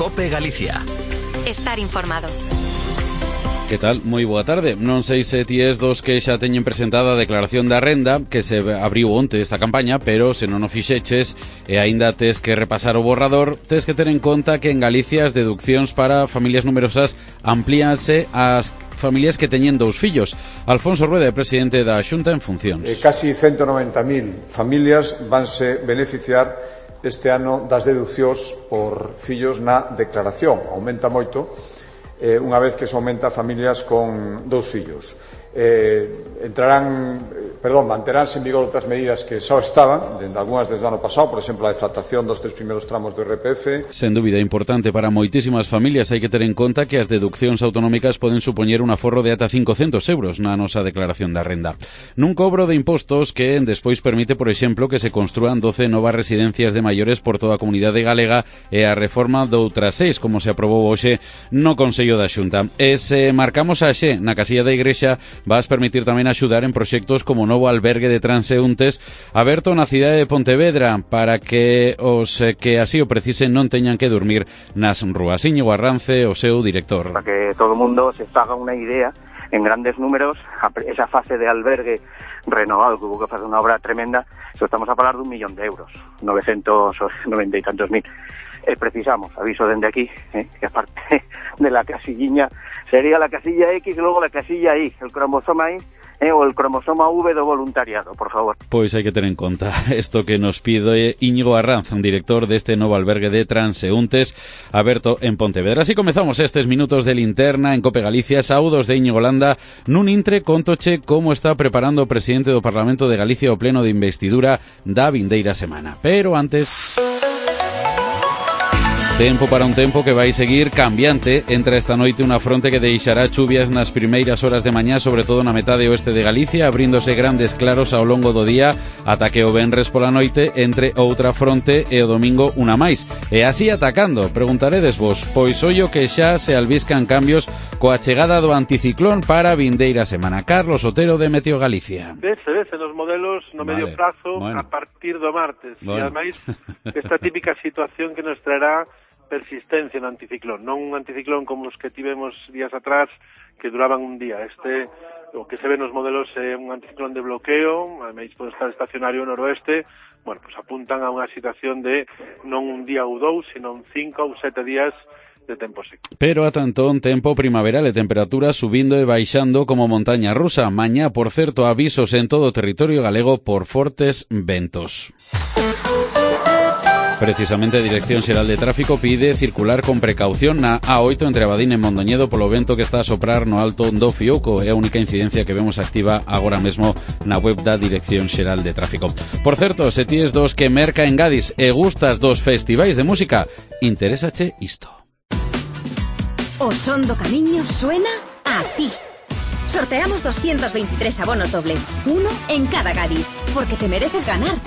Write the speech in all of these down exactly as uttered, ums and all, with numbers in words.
COPE Galicia. Estar informado. Que tal? Moi boa tarde. Non sei se ti es dos que xa teñen presentada a declaración da renda que se abriu onte esta campaña, pero se non o fixeches e aínda tes que repasar o borrador, tes que ter en conta que en Galicia as deduccións para familias numerosas amplíanse ás familias que teñen dous fillos. Alfonso Rueda é presidente da Xunta en funcións. Eh, casi ciento noventa mil familias vanse beneficiar este ano das deducións por fillos na declaración. Aumenta moito eh, unha vez que se aumenta a familias con dous fillos. Eh, entrarán, perdón, manteránse en vigor outras medidas que só estaban, dende algunhas desde o ano pasado, por exemplo, a deflactación dos tres primeiros tramos do R P F. Sen dúbida importante para moitísimas familias, hai que ter en conta que as deduccións autonómicas poden supoñer un aforro de ata cincocentos euros na nosa declaración da renda. Nun cobro de impostos que despois permite, por exemplo, que se construan doce novas residencias de maiores por toda a comunidade galega e a reforma doutras seis, como se aprobou hoxe no Consello da Xunta. E se marcamos a xe na casilla da Igrexa, vas permitir tamén axudar en proxectos como o novo albergue de transeúntes aberto na cidade de Pontevedra para que os que así o precisen non teñan que dormir nas rúas. Íñigo Arrance, o seu director. Para que todo o mundo se faga unha idea, en grandes números, esa fase de albergue renovado, que hubo que facer unha obra tremenda, so estamos a falar dun millón de euros, novecientos noventa e tantos mil. Eh, precisamos, aviso dende aquí, eh, que aparte de la casilliña, sería la casilla X y luego la casilla Y, el cromosoma Y, eh, o el cromosoma V do voluntariado, por favor. Pois hai que ter en conta isto que nos pide Íñigo Arranz, director deste novo albergue de transeúntes aberto en Pontevedra. Así comezamos estes minutos de linterna en COPE Galicia. Saúdos de Íñigo Landa. Nun intre contoche como está preparando o presidente do Parlamento de Galicia o pleno de investidura da vindeira semana. Pero antes... Tempo para un tempo que vai seguir cambiante. Entra esta noite unha fronte que deixará chuvias nas primeiras horas de mañá, sobre todo na metade oeste de Galicia, abríndose grandes claros ao longo do día ata que o venres pola noite entre outra fronte e o domingo unha máis. E así atacando, preguntaredes vos, pois ollo que xa se albiscan cambios coa chegada do anticiclón para a vindeira semana. Carlos Otero, de Meteo Galicia. Vese, vese nos modelos no vale. Medio prazo, bueno, a partir do martes. Bueno. E ademais, esta típica situación que nos traerá persistencia no anticiclón, non un anticiclón como os que tivemos días atrás que duraban un día. Este, o que se ve nos modelos, é un anticiclón de bloqueo, ademais pode estar estacionario no noroeste. Bueno, pues apuntan a unha situación de non un día ou dous, sino un cinco ou sete días de tempo seco. Pero a tanto un tempo primaveral e temperaturas subindo e baixando como montaña rusa. Mañá, por certo, avisos en todo o territorio galego por fortes ventos. Precisamente a Dirección Xeral de Tráfico pide circular con precaución na A oito entre Abadín e Mondoñedo polo vento que está a soprar no alto do Fiouco. É a única incidencia que vemos activa agora mesmo na web da Dirección Xeral de Tráfico. Por certo, se ti es dos que merca en Gadis e gustas dos festivais de música, interésache isto. O son do camiño suena a ti. Sorteamos doscientos veintitrés abonos dobles, uno en cada Gadis, porque te mereces ganar.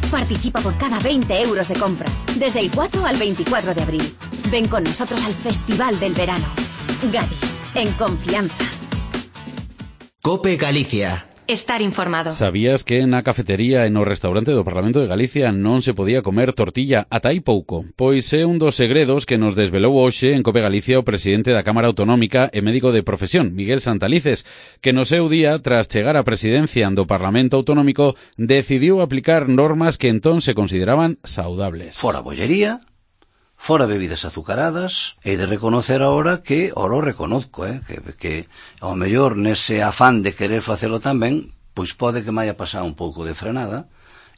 Participa por cada veinte euros de compra, desde el cuatro al veinticuatro de abril. Ven con nosotros al Festival del Verano. Gadis, en confianza. COPE Galicia. Estar informado. Sabías que na cafetería e no restaurante do Parlamento de Galicia non se podía comer tortilla ata hai pouco? Pois é un dos segredos que nos desvelou hoxe en COPE Galicia o presidente da Cámara Autonómica e médico de profesión, Miguel Santalices, que no seu día, tras chegar á presidencia do Parlamento Autonómico, decidiu aplicar normas que entón se consideraban saudables. Fora bollería, fora bebidas azucaradas, e de reconocer ahora que, ora o reconozco, eh, que, que ao mellor nese afán de querer facelo tamén, pois pode que me haya pasado un pouco de frenada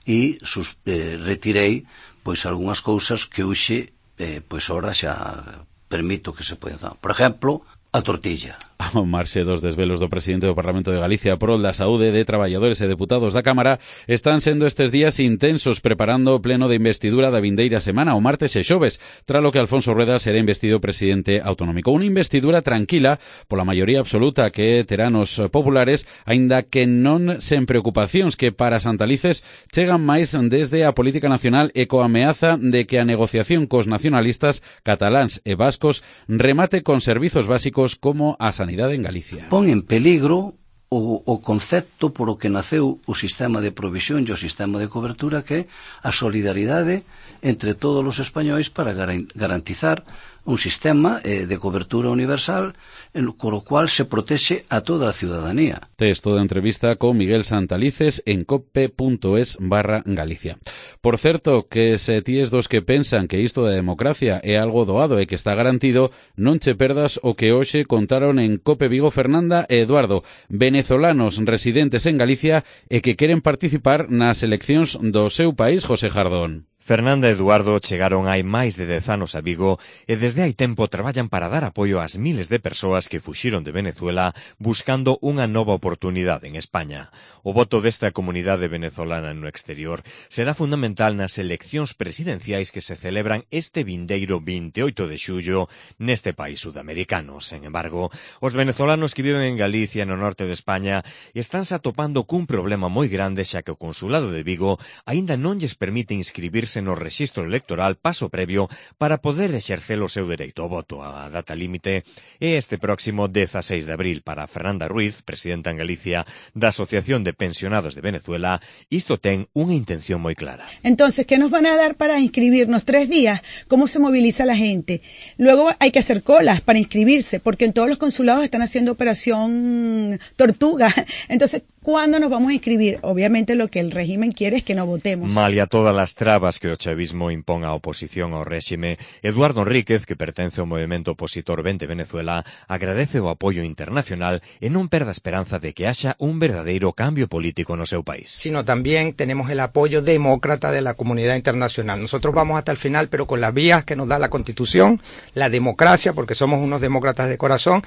e sus, eh, retirei pois algunhas cousas que hoxe eh, pois ora xa permito que se poida. Por exemplo, a tortilla. Ao marxe dos desvelos do presidente do Parlamento de Galicia prol da saúde de traballadores e deputados da Cámara, están sendo estes días intensos preparando o pleno de investidura da vindeira semana, o martes e xoves, tralo que Alfonso Rueda será investido presidente autonómico. Unha investidura tranquila pola maioría absoluta que terán os populares, aínda que non sen preocupacións que para Santalices chegan máis desde a política nacional e coa ameaza de que a negociación cos nacionalistas cataláns e vascos remate con servizos básicos como a sanidade en Galicia. Pon en peligro o, o concepto por o que naceu o sistema de provisión e o sistema de cobertura, que é a solidaridade entre todos os españois para garantizar un sistema eh, de cobertura universal en, con lo cual se protexe a toda a ciudadanía. Texto de entrevista con Miguel Santalices en cope.es barra Galicia. Por certo, que se tíes dos que pensan que isto da democracia é algo doado e que está garantido, non che perdas o que hoxe contaron en Cope Vigo Fernanda e Eduardo, venezolanos residentes en Galicia e que queren participar nas eleccións do seu país, José Jardón. Fernanda e Eduardo chegaron hai máis de dez anos a Vigo e desde hai tempo traballan para dar apoio ás miles de persoas que fuxiron de Venezuela buscando unha nova oportunidade en España. O voto desta comunidade venezolana no exterior será fundamental nas eleccións presidenciais que se celebran este vindeiro vinte e oito de xullo neste país sudamericano. Sen embargo, os venezolanos que viven en Galicia no norte de España estánse atopando cun problema moi grande xa que o Consulado de Vigo aínda non lles permite inscribirse no rexistro electoral paso previo para poder exercer o seu dereito ao voto. A data límite é este próximo dezaseis de abril. Para Fernanda Ruiz, presidenta en Galicia da Asociación de Pensionados de Venezuela, isto ten unha intención moi clara. Entonces, ¿qué nos van a dar para inscribirnos? Tres días. ¿Cómo se moviliza la gente? Luego hay que hacer colas para inscribirse, porque en todos los consulados están haciendo operación tortuga. Entonces, ¿cuándo nos vamos a inscribir? Obviamente lo que el régimen quiere es que no votemos. Malia todas as trabas que o chavismo impón a oposición ao réxime, Eduardo Enríquez, que pertence ao movimento opositor Vente Venezuela, agradece o apoio internacional e non perda a esperanza de que haxa un verdadeiro cambio político no seu país. Sino también tenemos el apoyo demócrata de la comunidad internacional. Nosotros vamos hasta el final, pero con las vías que nos da la Constitución, la democracia, porque somos unos demócratas de corazón.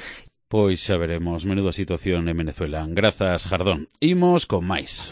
Pois xa veremos, menuda situación en Venezuela. Grazas, Jardón. Imos con máis.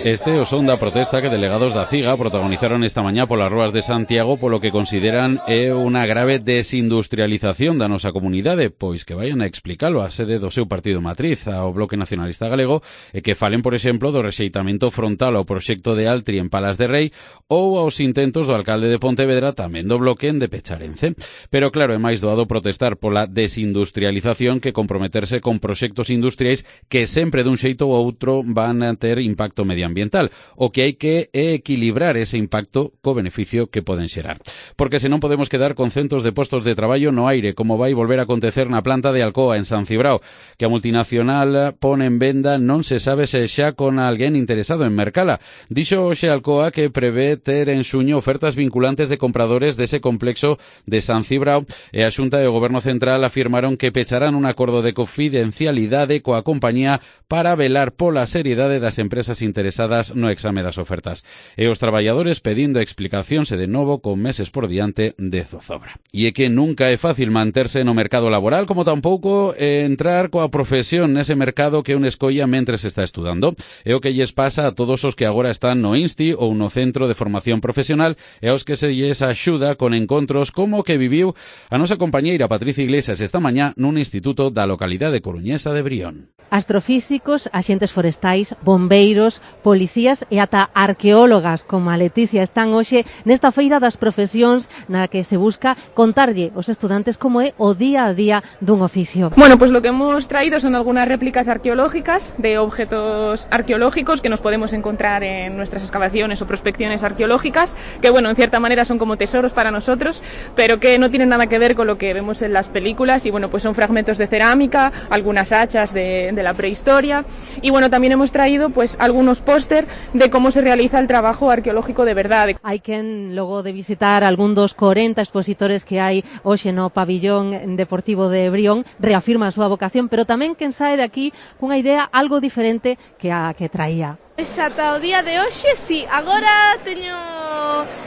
Este é o son da protesta que delegados da CIGA protagonizaron esta mañá polas ruas de Santiago polo que consideran é unha grave desindustrialización da nosa comunidade, pois que vayan a explicalo a sede do seu partido matriz, ao Bloque Nacionalista Galego, e que falen, por exemplo, do rexeitamento frontal ao proxecto de Altri en Palas de Rei ou aos intentos do alcalde de Pontevedra, tamén do Bloque, en de Pecharense. Pero claro, é máis doado protestar pola desindustrialización que comprometerse con proxectos industriais que sempre dun xeito ou outro van a ter impacto medioambiental. O que hai que é equilibrar ese impacto co beneficio que poden xerar. Porque se non podemos quedar con centos de postos de traballo no aire, como vai volver a acontecer na planta de Alcoa en San Cibrao, que a multinacional pone en venda non se sabe se xa con alguén interesado en mercala. Dixo hoxe Alcoa que prevé ter en xuño ofertas vinculantes de compradores dese complexo de San Cibrao e a Xunta e o Goberno Central afirmaron que pecharán un acordo de confidencialidade coa compañía para velar pola seriedade das empresas interesadas no exame das ofertas. E os traballadores pedindo explicacións e de novo con meses por diante de zozobra. E é que nunca é fácil manterse no mercado laboral, como tampouco entrar coa profesión nese mercado que un escolla mentres está estudando. É o que lles pasa a todos os que agora están no INSTI ou no Centro de Formación Profesional e aos que se lles axuda con encontros como que viviu a nosa compañeira Patricia Iglesias esta mañá nun instituto da localidade coruñesa de Brión. Astrofísicos, axentes forestais, bombeiros, policías e ata arqueólogas como a Leticia están hoxe nesta feira das profesións na que se busca contarlle aos estudantes como é o día a día dun oficio. Bueno, pues lo que hemos traído son algunas réplicas arqueológicas de objetos arqueológicos que nos podemos encontrar en nuestras excavaciones o prospecciones arqueológicas, que bueno, en cierta manera son como tesoros para nosotros, pero que no tienen nada que ver con lo que vemos en las películas y bueno, pues son fragmentos de cerámica, algunas hachas de, de la prehistoria y bueno, también hemos traído pues algunos póster de cómo se realiza el trabajo arqueológico de verdad. Hai quen logo de visitar algún dos corenta expositores que hai hoxe no pabillón deportivo de Brión reafirma a súa vocación, pero tamén quen sae de aquí cunha idea algo diferente que a que traía. Pois ata o día de hoxe, sí, agora teño...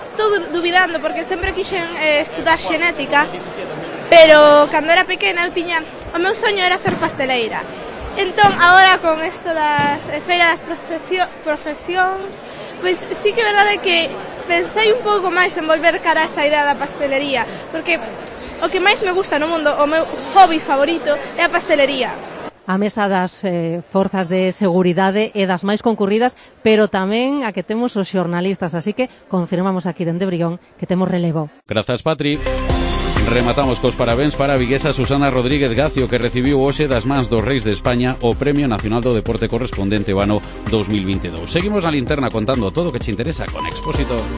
estou dubidando porque sempre quixen eh, estudar xenética, pero cando era pequena eu tiña... o meu soño era ser pasteleira. Entón, agora con isto das eh, feiras das profesións, pois sí que é verdade que pensei un pouco máis en volver cara a esa idea da pastelería, porque o que máis me gusta no mundo, o meu hobby favorito, é a pastelería. A mesa das eh, forzas de seguridade é das máis concurridas, pero tamén a que temos os xornalistas, así que confirmamos aquí dende Brión que temos relevo. Grazas, Patri. Rematamos cos parabéns para a viguesa Susana Rodríguez Gacio, que recibiu hoxe das mans dos Reis de España o Premio Nacional do Deporte correspondente ao ano dos mil veintidós. Seguimos na linterna contando todo o que che interesa con Expósito.